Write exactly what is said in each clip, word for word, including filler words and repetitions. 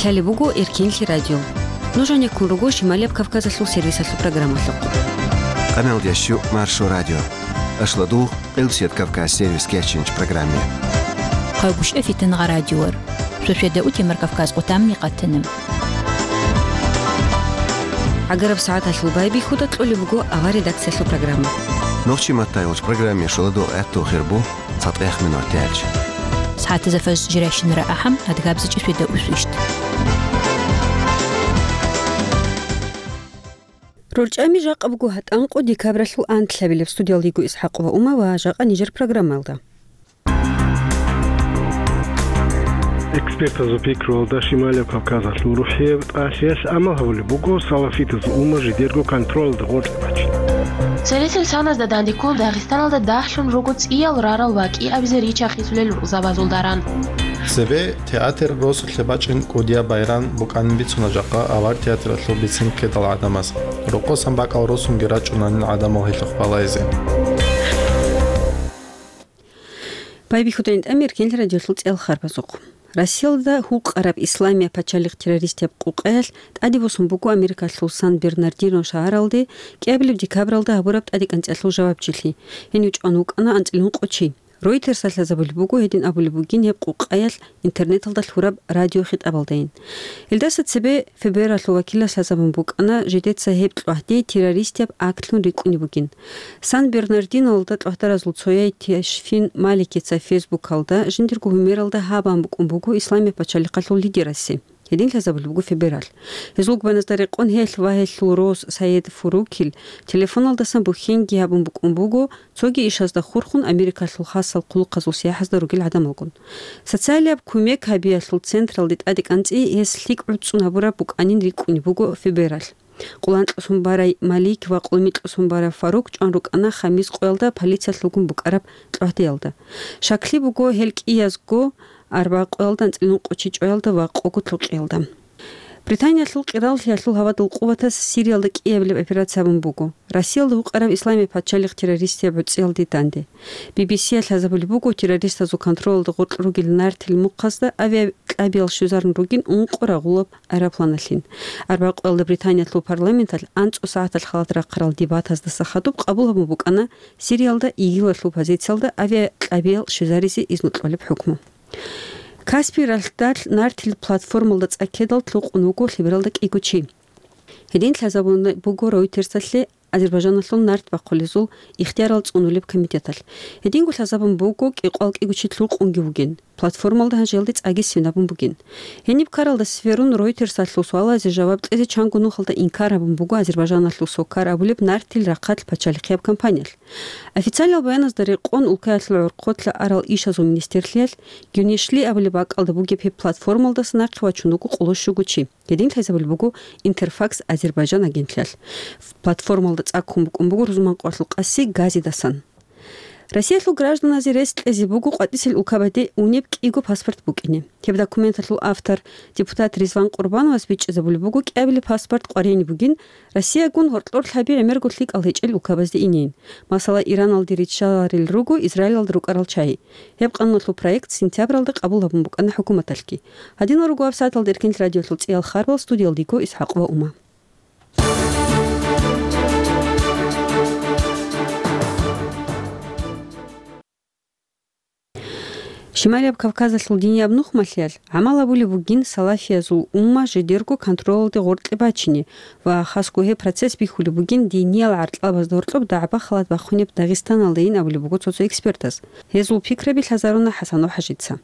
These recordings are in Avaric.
Лъалеб буго Эркенлъи радио. Нуж гьанеккун руго Шималияб Кавказалъул сервисалъул программалъухъ. Къаналдящу Маршо радио. Ашладу Къилбсият Кавказ сервис кечинч программе. Хъайбушев Фитангъа радиор. Шошеда утимар Кавказ къутамни къатанам. Агараб сагӀаталъул байбихьуда кьолеб буго авар редакциялъул программа. Нохчи маттай уч программе шоладо этту хирбу цатӀех минут тяч. СагӀатаза фаз жиращинара ахӀам адгабзичӀи шведа усвищт. РорчӀами жакъа буго гьатӀанкъо декабралъул анлъабилеб. Студиялдиго ИсхӀакъ ва Ума ва жакъа нижер программалда. Экспертазул пикруялда Шималияб Кавказалъул рухӀияб тӀалъиялъ амал гьабулеб буго салафитазул умма жидерго контролалда гъоркье бачине. Цересел саназда данде ккун Дагъистаналда дагьлъун руго цӀиял рарал ва кӀиабизе ричархъизулел рукъзабазул даран. Цебе театр росулъе бачӀин кӀудияб байран букӀанин бицуна жакъа авар театралъул бицин ккедал гӀадамаз. Рокъосан бакӀал росунги рачӀунанин гӀадамал гьелъухъ балайзе. Байбихьуда гьитӀами Эркенлъи радиолъул цӀел харбазухъ. Россиялда гьукъараб исламияб пачалихъ террористияб къукъаялъ тӀаде босун буго Америкалъул Сан-Бернардино шагьаралде кӀиабилеб декабралда гьабураб тӀадекӀанцӀиялъул жавабчилъи. Гьенив чӀван вукӀана анцӀила ункъо чи. Ройтерсалъ лъазабулеб буго гьедин абулеб бугин гьеб къукъаялъ интернеталда лъураб радиохитӀабалдайин. Гьелдаса цебе ФБР-алъул вакилас лъазабун букӀана, жидеца гьеб кьвагьде террористияб актлъун рикӀкӀунеб бугин. Сан-Бернардинолда кьвагьдаразул цояй Тешфин Маликица Фейсбукалда жиндирго гьумералда гьабун букӀун буго Исламияб пачалихъалъул лидерасе. Гьедин лъазабулеб буго ФБР-алъ. Гьезул губаназда рекъон гьелъ ва гьелъул рос Саед Фурукил телефоналдасан бухьенги гьабун букӀун буго, цоги ишазда хурхун Америкалъул хасал хъулухъазул сияхӀазда ругел гӀадамалгун. Социалияб кумек гьабиялъул централде тӀадекӀанцӀи гьес лъикӀ гӀуцӀцӀун гьабураб букӀанин рикӀкӀунеб буго ФБР-алъ. Къоло анкьлъун барай Малик ва къоло микьлъун барай Фарук чӀван рукӀана Хамис къоялда полициялъулгун букӀараб кьвагьдеялда. Щаклъи буго гьел кӀиязго арбагъ къоялда анцӀила ункъо чи чӀваялда ва къого лъукъиялда. Британиялъул къираллъиялъул гьавадул къуватас Сириялда кӀиабилеб операция гьабун буго, Россиялда гьукъараб исламияб пачалихъ террористияб гӀуцӀиялде данде. Би-би-сиялъ лъазабулеб буго, террористазул контролалда гъоркь ругел нартил мухъазда авиакьабиял щвезарун ругин ункъо рагъулаб аэропланалъин. Арбагъ къоялда Британиялъул парламенталъ анцӀго сагӀаталъ халат рахъарал дебатаздаса хадуб къабул гьабун букӀана Сириялда ИГИЛалъул позициялда авиакьабиял щвезаризе изну кьолеб хӀукму. Каспий ралъдалъ нартил платформалда цӀа ккедал лъукъун вуго лъебералда кӀиго чи. Гьедин лъазабун буго Ройтерсалъе Азербайжаналъул нарт бахъулезул ихтиярал цӀунулеб комитеталъ. Гьединго лъазабун буго кӀикъоял кӀиго чи лъукъунги вугин. Платформалда гьанже гьелде цӀаги свинабун бугин. Гьениб ккаралда сверун Ройтерсалъул суалазе жаваб кьезе чанго нухалда инкар гьабун буго Азербайжаналъул Сокар абулеб нартил рахъалъ пачалихъияб компаниялъ. Официалиял баяназда рекъон улкаялъул гӀорхъолъа арал ишазул министрлъиялъ Гюнешли абулеб бакӀалда бугеб гьеб платформалдаса нахъе вачун вуго къоло щуго чи. Гьедин лъазабулеб буго Интерфакс Азербайжан агентлъиялъ. Платформалда цӀа ккун букӀун буго рузман къоялъул къаси газидасан. Россиялъул гражданазе рес кьезе буго къватӀисел улкабаде унеб кӀиго паспорт букӀине. Гьеб документалъул автор, депутат Ризван Къурбановас бичӀчӀизабулеб буго кӀиабилеб паспорт къваригӀине бугин, Россиягун гьоркьор лъаби гӀемерго лъикӀал гьечӀел улкабазде инейин. Масала, Ираналде риччаларел руго Израилалда рукӀарал чагьи. Гьеб къануналъул проект сентябралда къабул гьабун букӀана хӀукуматалъги. Гьадинал руго гьабсагӀаталда Эркенлъи радиолъул цӀиял харбал, студиялдего ИсхӀакъ ва Ума. Шималияб Кавказалъул динияб нухмалъиялъ гӀамал гьабулеб бугин салафиязул умма жидерго контролалде гъоркье бачине ва хасго гьеб процесс бихьулеб бугин диниял гӀаркьабазда гьоркьоб дагӀба-халат бахъунеб Дагъистаналдайин абулеб буго цо-цо экспертаз. Гьезул пикраби лъазаруна ХӀасанов ХӀажица.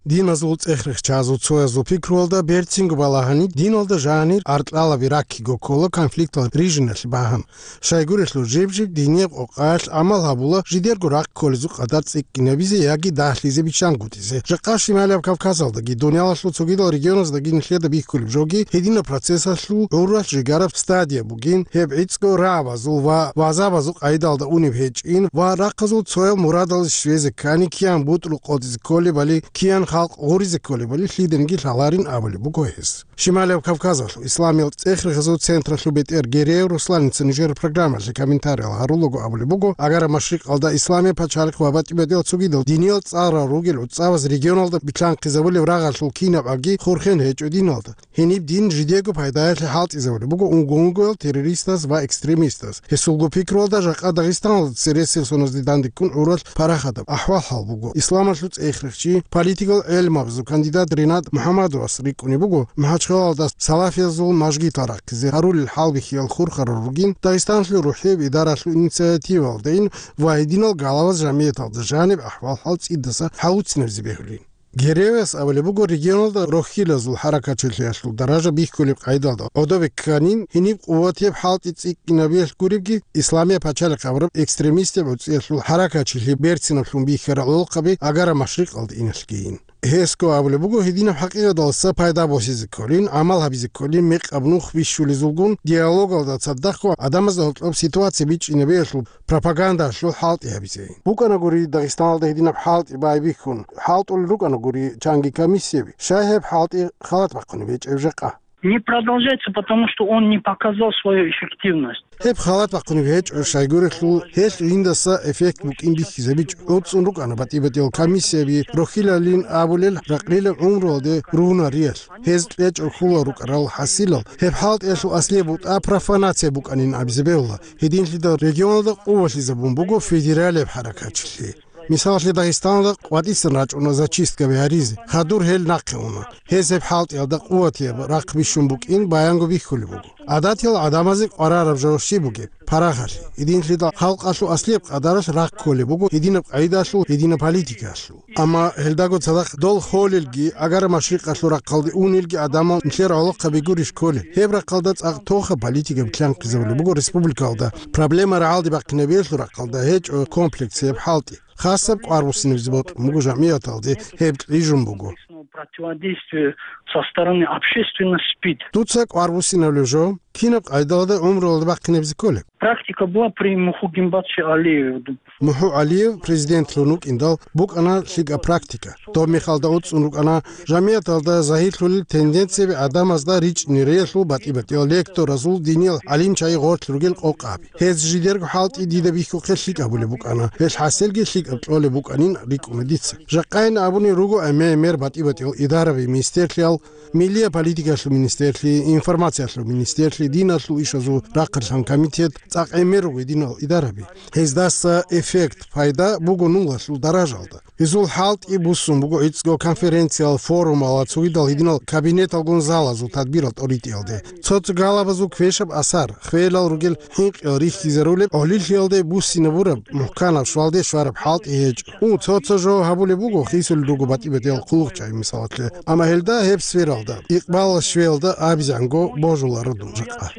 Диназул цӀех-рехчазул цоязул пикруялда берцинго балагьани, диналда жанир гӀаркьалаби раккиго ккола конфликтал рижиналъе багьан. Щайгурелъул жиб-жиб динияб къокъаялъ гӀамал гьабула жидерго рахъ кколезул къадар цӀикӀкӀинабизе яги дагьлъизе биччангутӀизе. Жакъа Шималияб Кавказалдаги, дуниялалъул цогидал регионаздаги нилъеда бихьулеб жоги, гьединаб процессалъул гӀуралъ жигараб стадия бугин, гьеб гӀицӀго рагӀабазул ва вазабазул къайдалда унеб гьечӀин ва рахъазул цоял мурадалде щвезе ккани киян бутӀрул къотӀизе кколебали, киян халкъ гъуризе кколебали лъиданиги лъаларин абулеб буго гьес. Шималияб Кавказалъул исламиял цӀех-рехазул централъул бетӀер Гереев Русланица нижер программалъе комментариял гьарулаго абулеб буго, Агара Машрикъалда Исламия пачалихъ ва батӀи-батӀиял цогидал диниял цӀарал ругел гӀуцӀабаз регионалда битлъанхъизабулеб рагъалъул кинаб аги хурхен гьечӀо диналда. Гьениб дин жидего пайдаялъе хӀалтӀизабулеб буго унго-унгоял террористаз ва экстремистаз. Гьесулго пикруялда жакъа Дагъистаналда цересел соназде дандеккун гӀурал парахадаб ахӀвал-хӀал буго. Исламалъул цӀех-рехчи, политикал гӀелмабазул кандидат Ренат МухӀаммадовас рикӀкӀунеб буго, МахӀачхъалалда салафиязул мажгитал рахъизе гьарулел хӀалбихьиял хурхарал ругин, Дагъистаналъул рухӀияб идаралъул инициативалдайин ва гьединал галаваз жамияталда жаниб ахӀвал-хӀал цӀидаса хӀалуцинабизе бегьулин. Гереевас абулеб буго, регионалда рохьилазул хӀаракатчилъиялъул даража бихьулеб къайдалда гӀодобе кканин, гьениб къуватияб хӀалтӀи цӀикӀкӀинабиялъ гуребги, Исламия пачалихъ абураб экстремистаб гӀуцӀиялъул хӀаракатчилъи берцинаблъун бихьарал гӀолохъаби Агара Машрикъалда иналъгийин. Гьесго абулеб буго, гьединаб хӀакъикъаталдаса пайда босизе кколин, гӀамал гьабизе кколин, мекъаб нух бищулезулгун, диалогалда цадахъго гӀадамазда гьоркьоб ситуация бичӀчӀинабиялъул пропагандалъул хӀалтӀи гьабизе. БукӀанагури Дагъистаналда гьединаб хӀалтӀи байбихьун, хӀалтӀулел рукӀанагури чанги комиссияби, щай гьеб хӀалтӀи халат бахъунеб гьечӀеб жакъа? Не продолжается, потому что он не показал свою эффективность. Гьеб халат бахъунеб гьечӀо, щайгурелъул гьелъ жиндаса эффект букӀин бихьизабичӀо. ГӀуцӀун рукӀана батӀи-батӀиял комиссияби, рохьилалин абулел ракълилеб гӀумруялде ругьунариялъ. Гьез кьечӀого хьулал рукӀарал хӀасилал, гьеб хӀалтӀиялъул аслияб бутӀа профанация букӀанин абизе бегьула. Гьединлъидал регионалда къувалъизабун буго федералияб хӀаракатчилъи. Мисалалъе, Дагъистаналда къватӀисан рачӀуна зачисткаби гьаризе, хадур гьел нахъе уна. Гьез гьеб хӀалтӀиялда къуватияб рахъ бищун букӀин баянго бихьулеб буго. ГӀадатиял гӀадамазе къварараб жо щиб бугеб? Парахалъе. Гьединлъидал халкъалъул аслияб къадаралъ рахъ кколеб буго гьединаб къайдалъул, гьединаб политикаялъул. Амма гьелдаго цадахъ дол холелги, Агара Машрикъалъул рахъалде унелги гӀадамал нилъер гӀолохъаби гурищ кколел. Гьеб рахъалда цӀакъ тохаб политика битлъанхъизабулеб буго республикалда. Проблема рагӀалде бахъинабиялъул рахъалда гьечӀо комплексияб хӀалтӀи. Хасаб кӀвар буссинабизе бокьун буго жамияталде, гьеб кьижун буго. Противодействие со стороны общественности спит. Дуца кӀвар буссинабулеб жо кинаб къайдалда гӀумруялда бахъинабизе кколеб? Практика была при Муху Гимбатовиче Алиеве. МухӀу ГӀалиев президентлъун вукӀиндал букӀана лъикӀаб практика. Доб мехалда уцӀцӀун рукӀана жамияталда загьирлъулел тенденцияби, гӀадамазда ричӀнериялъул батӀи-батӀиял лекторазул, диниял гӀалимчагӀи гъорлъ ругел къокъаби. Гьез жидерго хӀалтӀи дида бихьухъе лъикӀаб булеб букӀана, гьелъ хӀасилги лъикӀаб кьолеб букӀанин рикӀкӀуна дица. Жакъайин абунин руго гӀемер-гӀемер батӀи-батӀиял идараби, министерлъиял, миллияб политикалъул министерлъи, информациялъул министерлъи, диналъул ишазул рахъалъан комитет, цӀакъ гӀемер руго гьединал идараби. Гьездаса эффект, пайда буго нулалъул даражалда. Гьезул хӀалтӀи буссун буго гӀицӀго конференциял, форумал ва цогидал гьединал кабинеталгун залазул тадбирал тӀоритӀиялде. Цо-цо галабазул квешаб асар, хвелал ругел хӀинкъиял рихьизарулеб гӀолилъиялде буссинабураб, мухӀканаб, щвалде щвараб хӀалтӀи гьечӀо. Гьу, цо-цо жо гьабулеб буго, хисулел руго батӀи-батӀиял хъулухъчагӀи, мисалалъе. Амма гьелда гьеб сфералда, икъбалалъ щвелда абизанго божуларо дун жакъа.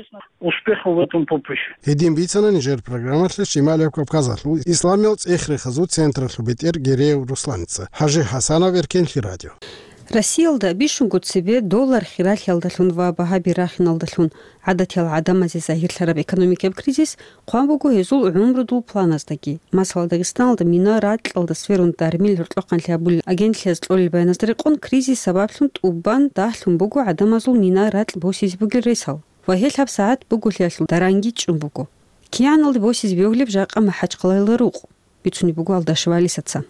Успехов в этом поприще. Гьедин бицана нижер программалъе Шималияб Кавказалъул исламиял цӀех-рехазул централъул бетӀер Гереев Русланица. ХӀажи ХӀасанов, Эркенлъи радио. Россиялда бищунго цебе доллар хиралъиялдалъун ва багьаби рахиналдалъун гӀадатиял гӀадамазе загьирлъараб экономикаб кризис хъван буго гьезул гӀумрудул планаздаги. Масала, Дагъистаналда мина ракьалда сверун дармил гьоркьохъанлъи гьабулел агентлъиялъ кьолел баяназда рекъон, кризис сабаблъун тӀубан дагьлъун буго гӀадамазул мина ракь босизе бугел ресал. Ва гьелъ гьабсагӀат буголъиялъул даранги чӀун буго. КигӀаналде босизе бегьулеб жакъа МахӀачхъалаялда рукъ, бицунеб буго Алдашева Алисаца.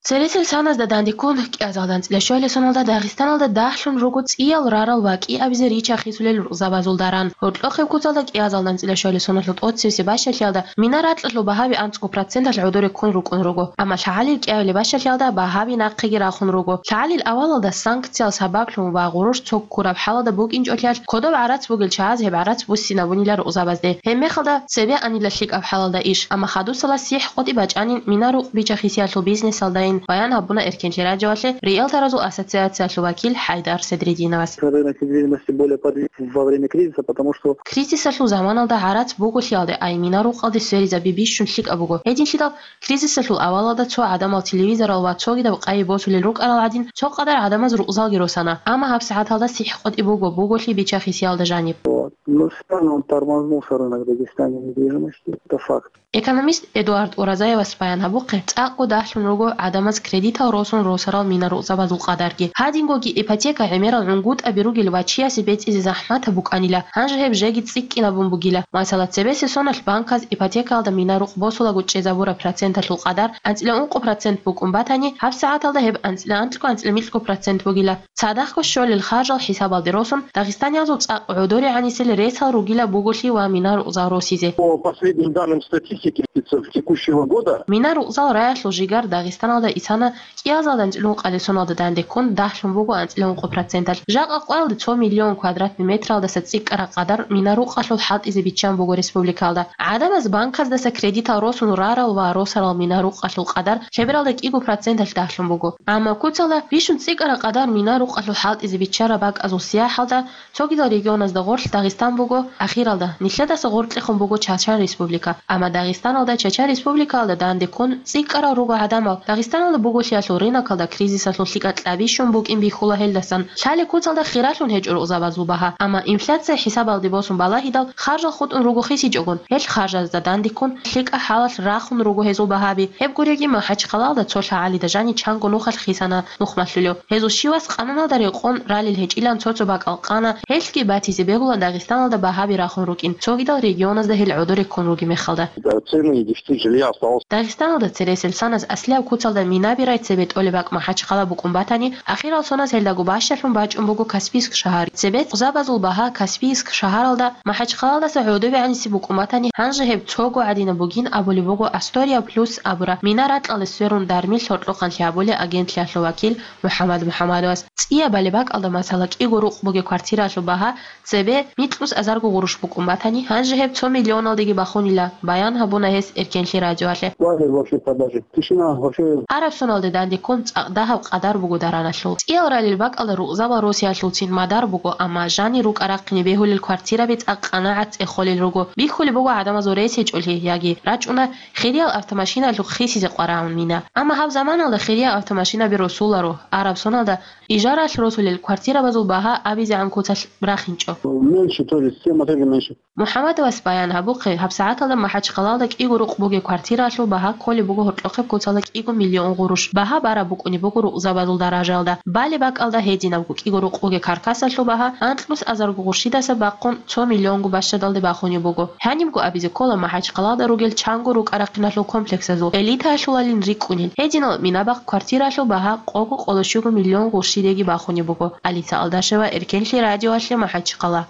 Цересел соназда дандеккун, кӀиазалда анцӀила щвалел соналда Дагъистаналда дагьлъун руго цӀиял рарал ва кӀиабизе рича-хисулел рукъзабазул даран. Гьоркьохъеб куцалда кӀиазалда анцӀила щвалел соналъул тӀоцебесеб бащалъиялда мина ракьалъул багьаби анцӀго проценталъ гӀодоре ккун рукӀун руго. Амма лъагӀалил кӀиабилеб бащалъиялда багьаби нахъеги рахун руго. ЛъагӀалил авалалда санкциял сабаблъун ва гъурущ цо ккураб хӀалалда букӀинчӀолъиялъ, кодоб гӀарац бугел чагӀаз гьеб гӀарац буссинабунила рукъзабазде. Гьеб мехалда цебе анила лъикӀаб хӀалалда иш, амма хадусала сихӀ къотӀи бачӀанин мина рукъ бича-хисиялъул бизнесалдайин, баян гьабуна Эркенлъи радиоялъе риэлторазул ассоциациялъул вакил ХӀайдар Седрединовас. Рынок недвижимости более подвижен во время кризиса, потому что Кризисалъул заманалда гӀарац буголъиялде ай мина рукъалде сверизаби бищун лъикӀаб буго. Гьединлъидал кризисалъул авалалда цо гӀадамал телевизорал ва цогидаб къайи босулел рукӀарал гӀадин, цо къадар гӀадамаз рукъзалги росана. Амма гьабсагӀаталда сихӀ къотӀи буго, буголъи бича-хисиялда жаниб. Вот. Ну, сильно он тормознул рынок Дагестане недвижимости. Это факт. Экономист Эдуард Уразаевас баян гьабухъе, цӀакъго дагьлъун руго гӀадамаз кредитал росун росарал мина-рукъзабазул къадарги. Гьадингоги ипотека гӀемерал гӀунгутӀаби ругел ва чиясе бецӀизе захӀматаб букӀанила, гьанже гьеб жеги цӀикӀкӀинабун бугила. Масала, цебесе соналъ банказ ипотекаялда мина-рукъ босулаго чӀезабураб проценталъул къадар анцӀила ункъо процент букӀун батани, гьабсагӀаталда гьеб анцӀила анкьго-анцӀила микьго процент бугила. Цадахъго щолел харжал хӀисабалде росун, дагъистаниязул цӀакъ гӀодоре гӀанисел ресал ругила буголъи ва мина-рукъзал росизе. По последним данным статистики, спецов текущего года. Мина-рукъзал раялъул жигар Дагъистаналда исана кӀиазалда анцӀила ункъалил соналда данде ккун, дагьлъун буго анцӀила ункъо проценталъ. Жакъа къоялда цо миллион квадратный метралдаса цӀикӀкӀараб къадар мина-рукъалъул хӀалтӀизе биччан буго республикалда. ГӀадамаз банказдаса кредитал росун рарал ва росарал мина-рукъалъул къадар лъебералда кӀиго проценталъ дагьлъун буго. Амма куцалда бищун цӀикӀкӀараб къадар мина-рукъалъул хӀалтӀизе биччараб бакӀазул сияхӀалда цогидал регионазда гъорлъ Дагъистан буго ахиралда, нилъедаса гъоркьехун буго Чачан Республика. Амма Дагъистаналда Чачан Республикаялда данде ккун цӀикӀкӀарал руго гӀадамал. Дагъистаналда буголъиялъул рынокалда кризисалъул лъикӀа кьабищун букӀин бихьула гьелдасан. Лъали куцалда хиралъун гьечӀо рукъзабазул багьа. Амма инфляция хӀисабалде босун балагьидал, харжал хутӀун руго хисичӀогун, гьел харжазда данде ккун лъикӀа хӀалалъ рахун руго гьезул багьаби. Гьеб гуреги, МахӀачхъалалда цо лъагӀалида жани чанго нухалъ хисана нухмалъулев. Гьезул щивас къананалда рекъон ралел гьечӀилан цо-цо бакӀал къана, гьелъги батизе бегула Дагъистаналда багьаби рахун рукӀин, цогидал регионазда гьел гӀодоре ккун ругеб мехалда. Цены и десяти жилья осталось. Дагъистаналда цересел санас аслияб куцалда минаби рай цебе тӀолеб бакӀ МахӀачхъала букӀун батани, ахирал соназ гьелдаго бащалъун бачӀун буго Каспийск шагьар. Цебе рукъзабазул багьа Каспийск шагьаралда МахӀачхъалалдаса гӀодобе гӀаниси букӀун батани, гьанже гьеб цого гӀадинаб бугин абулеб буго Астория Плюс абураб мина ракьалде сверун дармил гьоркьохъанлъи гьабулеб агентлъиялъул вакил МухӀаммад МухӀаммадовас. ЦӀиябали бакӀалда, масала, кӀиго рукъ бугеб квартираялъул багьа цебе микьус азарго гъурущ букӀун батани, гьанже гьеб цо миллионалдеги бахунила, баян гьабуна гьес Эркенлъи радиоялъе. Валер вообще продажи. Тишина вообще. Араб соналде данде ккун цӀакъ дагьаб къадар буго дараналъул. ЦӀиял ралел бакӀалда рукъзабал росиялъулцин мадар буго, амма жанир рукӀа-рахъине бегьулел квартираби цӀакъ къанагӀат цӀехолел руго. Бихьулеб буго гӀадамазул рес гьечӀолъи, яги рачӀуна хириял автомашиналъухъ хисизе къварагӀун мина. Амма гьаб заманалда хириял автомашинаби росуларо, араб соналда ижаралъ росулел квартирабазул багьа абизегӀан куцалъ рахинчӀо. Меньше тоже, семь, а также меньше. МухӀаммадовас баян гьабухъе, гьабсагӀаталда МахӀачхъалалда кӀиго рукъ бугеб квартираялъул багьа кколеб буго гьоркьохъеб куцалда кӀиго миллион гъурущ. Багьа бараб букӀунеб буго рукъзабазул даражаялда. Балеб бакӀалда гьединабго кӀиго рукъ бугеб каркасалъул багьа анкьнус азарго гъурщидаса бахъун цо миллионго бащадалде бахунеб буго. Гьанибго абизе ккола МахӀачхъалалда ругел чанго рукӀа-рахъиналъул комплексазул элитаялъулалин рикӀкӀунел. Гьединал мина-бахъ квартираялъул багьа къого-къоло щуго миллион гъурщидеги бахунеб буго. Алиса Алдашева, Эркенлъи радиоялъе, МахӀачхъала.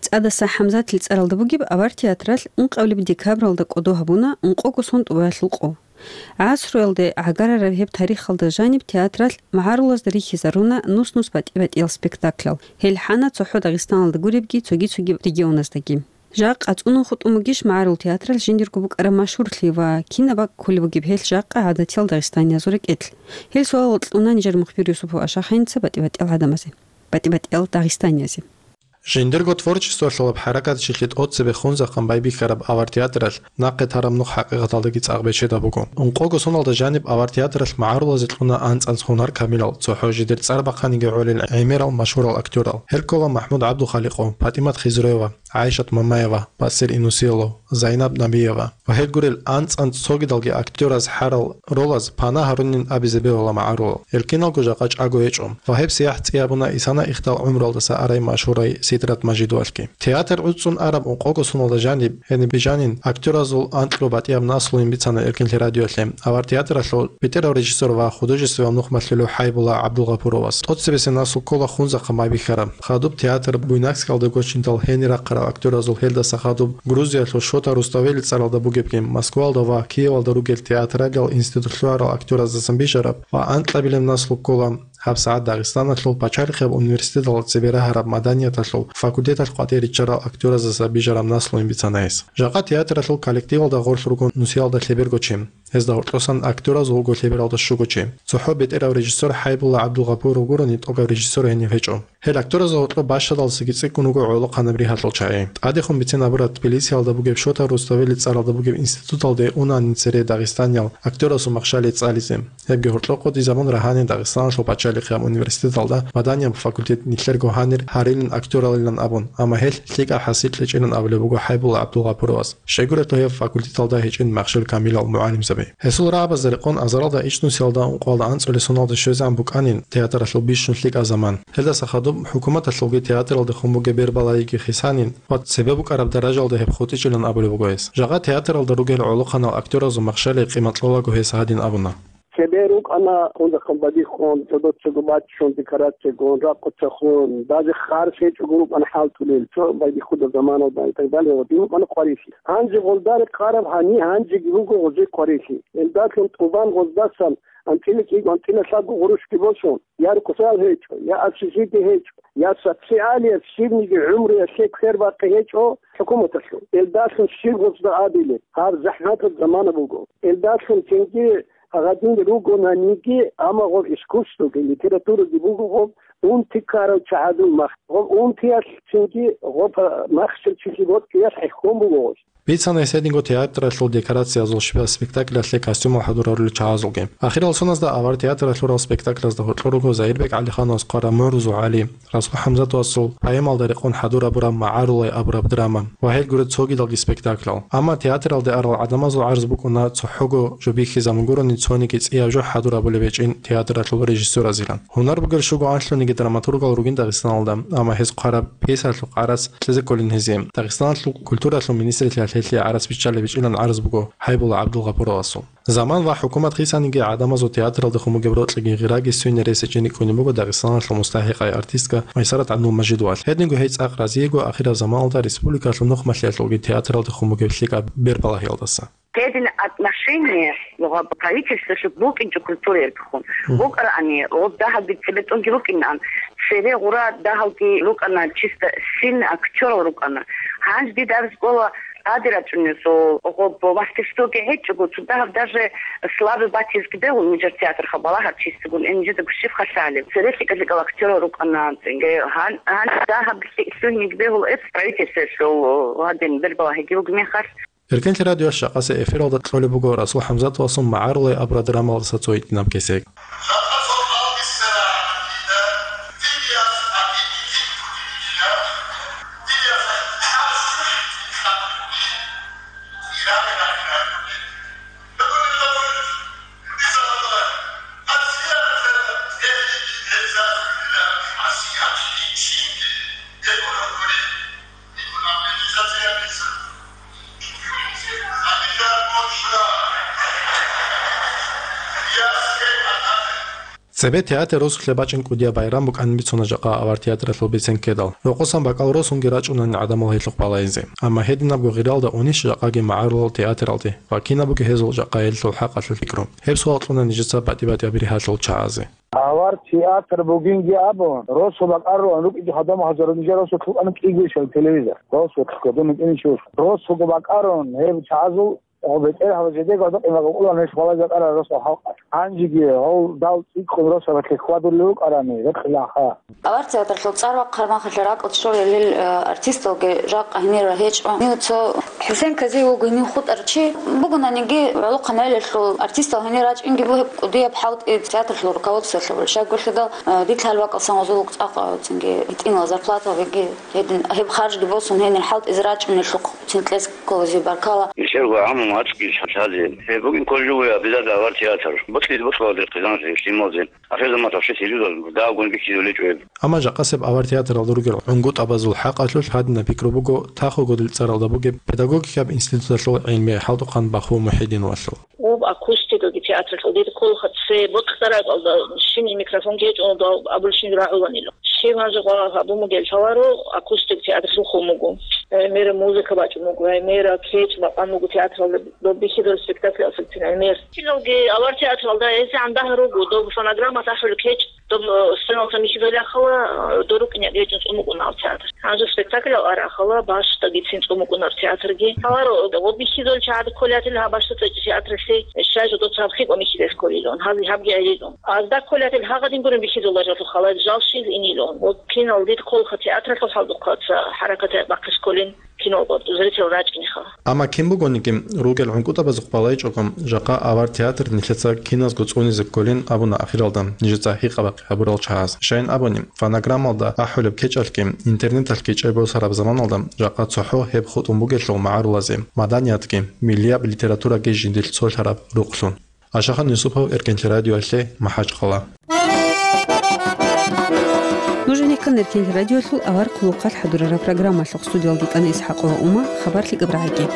ЦӀадаса ХӀамзатил цӀаралда бугеб авар театралъ ункъабилеб декабралда кӀодо гьабуна ункъого сон тӀубаялъул къо. ГӀасруялде гӀагарараб гьеб тарихалда жаниб театралъ магӀарулазда рихьизаруна нус-нус батӀи-батӀиял спектаклял. Гьел хӀана цохӀо Дагъистаналда гуребги цоги-цоги регионаздаги. Жакъа цӀунун хутӀун бугищ магӀарул театралъ жиндирго букӀараб машгьурлъи ва кинаб бакӀ кколеб бугеб гьелъ жакъа гӀадатиял дагъистаниязул рекӀелъ? Гьел суал кьуна нижер мухбир Юсупов Ашаханица батӀи-батӀиял гӀадамазе, батӀи-батӀиял дагъистаниязе. Жиндирго творчествоялъулаб хӀаракатчилъи тӀоцебе хунзахъан байбихьараб авар театралъ нахъе тараб нух хӀакъикъаталдаги цӀакъ бечедаб буго. Ункъого соналда жаниб авар театралъ магӀарулазе кьуна анцӀанц гьунар камилал, цохӀо жидер цӀар бахъаниги гӀолел гӀемерал машгьурал актёрал. Гьел ккола МахӀмуд ГӀабдухаликъов, ПатӀимат Хизроева, ГӀайшат Мамаева, Басир Инусиялов, Зайнаб Набиева ва гьел гурел анцӀанц цогидалги актёраз хӀарал ролаз пана гьарунин абизе бегьула магӀарулал. Гьел киналго жакъа чӀаго гьечӀо. Ва гьеб сияхӀ цӀи гьабуна исана ихдал гӀумруялдаса арай машгьурай Сидрат Мажидовалъги. Театр гӀуцӀцӀун араб ункъого соналда жаниб, гьениб жанин, актёразул анкьго батӀияб наслуйин бицана Эркенлъи радиоялъе, авар театралъул бетӀерав режиссёр ва художествояв нухмалъулев ХӀайбулла ГӀабдулгъапуровас. ТӀоцебесеб наслу ккола хунзахъан байбихьараб. Хадуб театр Буйнакскалда гочиндал гьенир рахъарал актёразул, гьелдаса хадуб Грузиялъул Шота Руставели цӀаралда бугебги, Москвалда ва Киевалда ругел театралиял институтлъугьарал актёраздасан бижараб ва анкьабилеб наслу ккола гьабсагӀат Дагъистаналъул пачалихъияб университеталда цебе рагьараб маданияталъул факультеталъ къватӀире риччарал актёраздаса бижараб наслуйин бицана гьес. Жакъа театралъул коллективалда гъорлъ руго нусиялда лъеберго чи. Гьезда гьоркьосан актёраз вуго лъебералда щуго чи. ЦохӀо бетӀерав режиссёр ХӀайбулла ГӀабдулгъапуров гурони тӀокӀаб режиссёр гьенив гьечӀо. Гьел актёразда гьоркьоб бащадалдасаги цӀикӀкӀун руго гӀолохъанаб ригьалъул чагӀи. ТӀадехун бицин абураб, Тбилисиялда бугеб Шота Руставели цӀаралда бугеб институталде унанин цере дагъистаниял актёрасул махщалие цӀализе. Гьебги гьоркьоб къотӀизабун рагьанин Дагъистаналъул пачалихъ Лихъияб университеталда ва данияб факультет нилъерго гьанир гьарилин актёралилан абун, амма гьелъ лъикӀаб хӀасил кьечӀилан абулеб буго ХӀайбулла ГӀабдулгъапуровас. Щайгурелъул гьеб факультеталда гьечӀин Махщел Камилал мугӀалимзаби. Гьесул рагӀабазда рекъон азаралда ичӀнусиялда ункъоялда анцӀулесуналда щвезегӀан букӀанин театралъул бищун лъикӀаб заман. Гьелдаса хадуб хӀукуматалъулги театралдехун бугеб бербалагиги хисанин ва цебе букӀараб даражалда гьеб хутӀичӀилан абулеб буго гьес. Жакъа театралда ругел гӀолохъанал актёразул махщалил къимат кьолаго гьес гьадин абуна. Цебе рукӀана, кунзахъан бадихъун, цо-, цого баччун, декорациягун, ракъуцахъун, даже харс гьечӀого рукӀана хӀалтӀулел, цо байдихъуда заманалда и так далее, вот, рукӀана хъварилъи. Гьанже гъолда рекъараб гьани, гьанжеги руго гъозие хъварилъи. Илдалъун тӀубан гъоздасан анцӀила кӀиго, анцӀила лъабго гъурущги босун, я рукъзал гьечӀо, я общежитие гьечӀо, я социалияб щибниги гӀумруялъе квербакъи гьечӀо хӀукуматалъул. Илдалъун щиб гъозда абилеб? Гьаб захӀматаб замана буго. Илдалъун цинги гьадин ругонаниги, амма гъоб искусствоги, литератураги буго гъоб унти ккарав чагӀазул мах. Гъоб унтиялъ цинги гъоб махщел чилъи бокьиялъ хӀехьон буго гъоз. Бицана гьес гьединго театралъул декорациязул щибаб спектаклялъе костюмал хӀадурарулел чагӀазулги. Ахирал соназда авар театралъурал спектаклазда гьоркьор руго Загьирбек ГӀалихановас хъвараб МугӀрузул ГӀали, Расул ХӀамзатовасул поэмалда рекъон хӀадурабураб МагӀарулай абураб драма ва гьел гуреб цогидалги спектаклял. Амма театралде арал гӀадамазул гӀарз букӀуна цохӀого жо бихьизабун гурони цониги цӀияб жо хӀадурабулеб гьечӀин театралъул режиссёразилан. Гьунар бугел щуго анлъуниги драматургал ругин Дагъистаналда, амма гьез хъвараб пьесалъухъ гӀарац кьезе кколин гьезие. Дагъистаналъул культуралъул министрилъа гьелъие гӀарац биччалеб бичӀчӀилан гӀарз буго ХӀайбулла ГӀабдулгъапуровасул. Заман ва хӀукумат хисаниги гӀадамазул театралдехун бугеб рокьиги гъираги суйне рес гьечӀин рикӀкӀунеб буго Дагъистаналъул мустахӀикъай артистка Майсарат ГӀабдулмажидовалъ. Гьединго гьей цӀакъ разиего ахираб заманалда республикалъул нухмалъиялъулги театралдехун бугеб лъикӀаб бербалагьиялдаса. Гьедин отношение гьаб правительстволъул букӀинчӀо культураялдехун. Мгм. БукӀарани, гъоб дагьалги цебетӀунги рукӀинан, цере гъура дагьалги рукӀана, чисто сильный актёрал рукӀана. Гьанже дида абиз кӀола, гьади рачӀунесул гъоб мастерствоги гьечӀого, цо дагьаб даже слабый батизги бегьул нижер театрха балагьар чистигун, э, нижеда гущиб халлъалеб. Цере лъикӀа-лъикӀал актёрал рукӀана, цинги гьан-, гьанже дагьаб лъи-, лъугьиниг бегьул эц правительстволъул гьадин бербалагьиги бугеб мехалъ. Эркенлъи радиоялъ жакъасеб эфиралда кьолеб буго Расул ХӀамзатовасул МагӀарулай абураб драмалдаса цо гьитӀинаб кесек. Цебе театр росулъе бачӀин кӀудияб байрам букӀанин бицуна жакъа авар театралъул бицен ккедал. Рокъосан бакӀал росунги рачӀунани гӀадамал гьелъухъ балайзе. Амма гьединабго гъиралда унищ жакъаги магӀарулал театралде ва кинабго гьезул жакъа гьелъул хӀакъалъулъ пикру? Гьеб суал кьуна нижеца батӀи-батӀияб ригьалъул чагӀазе. Авар театр бугинги абун, росу бакӀарулан рукӀиги гьадамал гьазарун нижер росулъ рукӀана кӀиго ишал телевизор. Росулъ кодун рукӀинчӀо. Росуго бакӀарун гьеб чагӀазул, гьеб бетӀергьабаз жидего гьадакъин бакӀулан гьелъ балай бакӀарал росу халкъ. Гьанжеги гьав дал цӀикӀкӀун росабалъе хьвадулев вукӀарани, рекъилаха. Авар театрлъул цӀар вахъараб мехалъ ракӀалде щолел, э, артисталги жакъа гьенир гьечӀо. Гьев цо ХӀусен Казиев вуго гьенив хутӀарав чи. Бугонаниги, гӀолохъанал гӀелалъул артистал гьенир рачӀинги бугеб кӀудияб хӀалтӀи театрлъул руководстволъа буго. Щайгурелъул, э, дида лъала бакӀалсан гъозул цӀакъ, э, цинги гьитӀинал зарплаталги гьедин гьеб харжги босун гьенир хӀалтӀизе рачӀунелъухъ цин кьезе кколазе баркала. Нилъерго гӀамру мацӀги лъазе. Гьеб бугин кожевое обязательно авар театр. Бокьизе бокьулазе хъизаналъе, лъималазе. Ахирзаман тавши сиризал дагьабгун бихьизулечӀо гьеб. Амма жакъасеб авар театралда ругел гӀунгутӀабазул хӀакъалъулъ гьадинаб пикру буго Тахуго дилцаралда бугеб педагогикаб институталъул гӀилми хӀалтӀухъан Баху МухӀидиновалъул. Гъоб акустикаги театралъул дида кколаха цебе бокьараб бакӀалда щибниги микрофонги гьечӀо, абулщинги рагӀуланила. Щиб гьанже гъо гьабун бугеб лъаларо, акустик театралъухъун буго. Гьай мера музыка бачӀун буго, гьай мера кечӀ бакъан буго театралда, доб бихьидал спектакль асубцин гьай мер. Киналги авар театралда гьезегӀан дагьа руго, доб фонограмма тӀахьулеб кечӀ, доб, э, сценалда михьидал яхала, э, дорукьине гьечӀун цӀун букӀуна гьав театр. Гьанже спектакль арахала, бащдагицин цӀун букӀуна гьав театрги. Лъаларо, э, гъоб бихьидал чагӀад кколел гьатӀила гьаб бащда цӀечӀо театралъе, щай жодоца гьаб хикӀун михьидал кколилан, гьаб, гьабги гӀелилан. Азда кколел гьатӀил гьагъадин гурин бихьидал жо лъухъала, жал щил инилан. Вот кинал дида кколаха театралъул хӀалтӀухъаца хӀаракат бахъизе кколин. кино зритель рачӀинеха. Амма кин бугониги, ругел гӀункӀутӀабазухъ балайчӀого, жакъа авар театр нилъеца киназго цӀунизе кколин абуна ахиралда нижеца гьикъа-бахъи гьабурал чагӀаз. Щайин абуни, фонограммалда ахӀулеб кечӀалъги, интернеталъги чӀей босараб заманалда жакъа цохӀо гьеб хутӀун бугелъул магӀарулазе, маданиятги, миллияб литератураги жиндилъ цолъараб рукълъун. Ашахан Юсупов, Эркенлъи радиоялъе, МахӀачхъала. Нуж гьенеккан Эркенлъи радиоялъул авар хъулухъалъ хӀадурараб программалъухъ. Студиялда ккана ИсхӀакъова Ума, хабар лъикӀаб рагӀиги.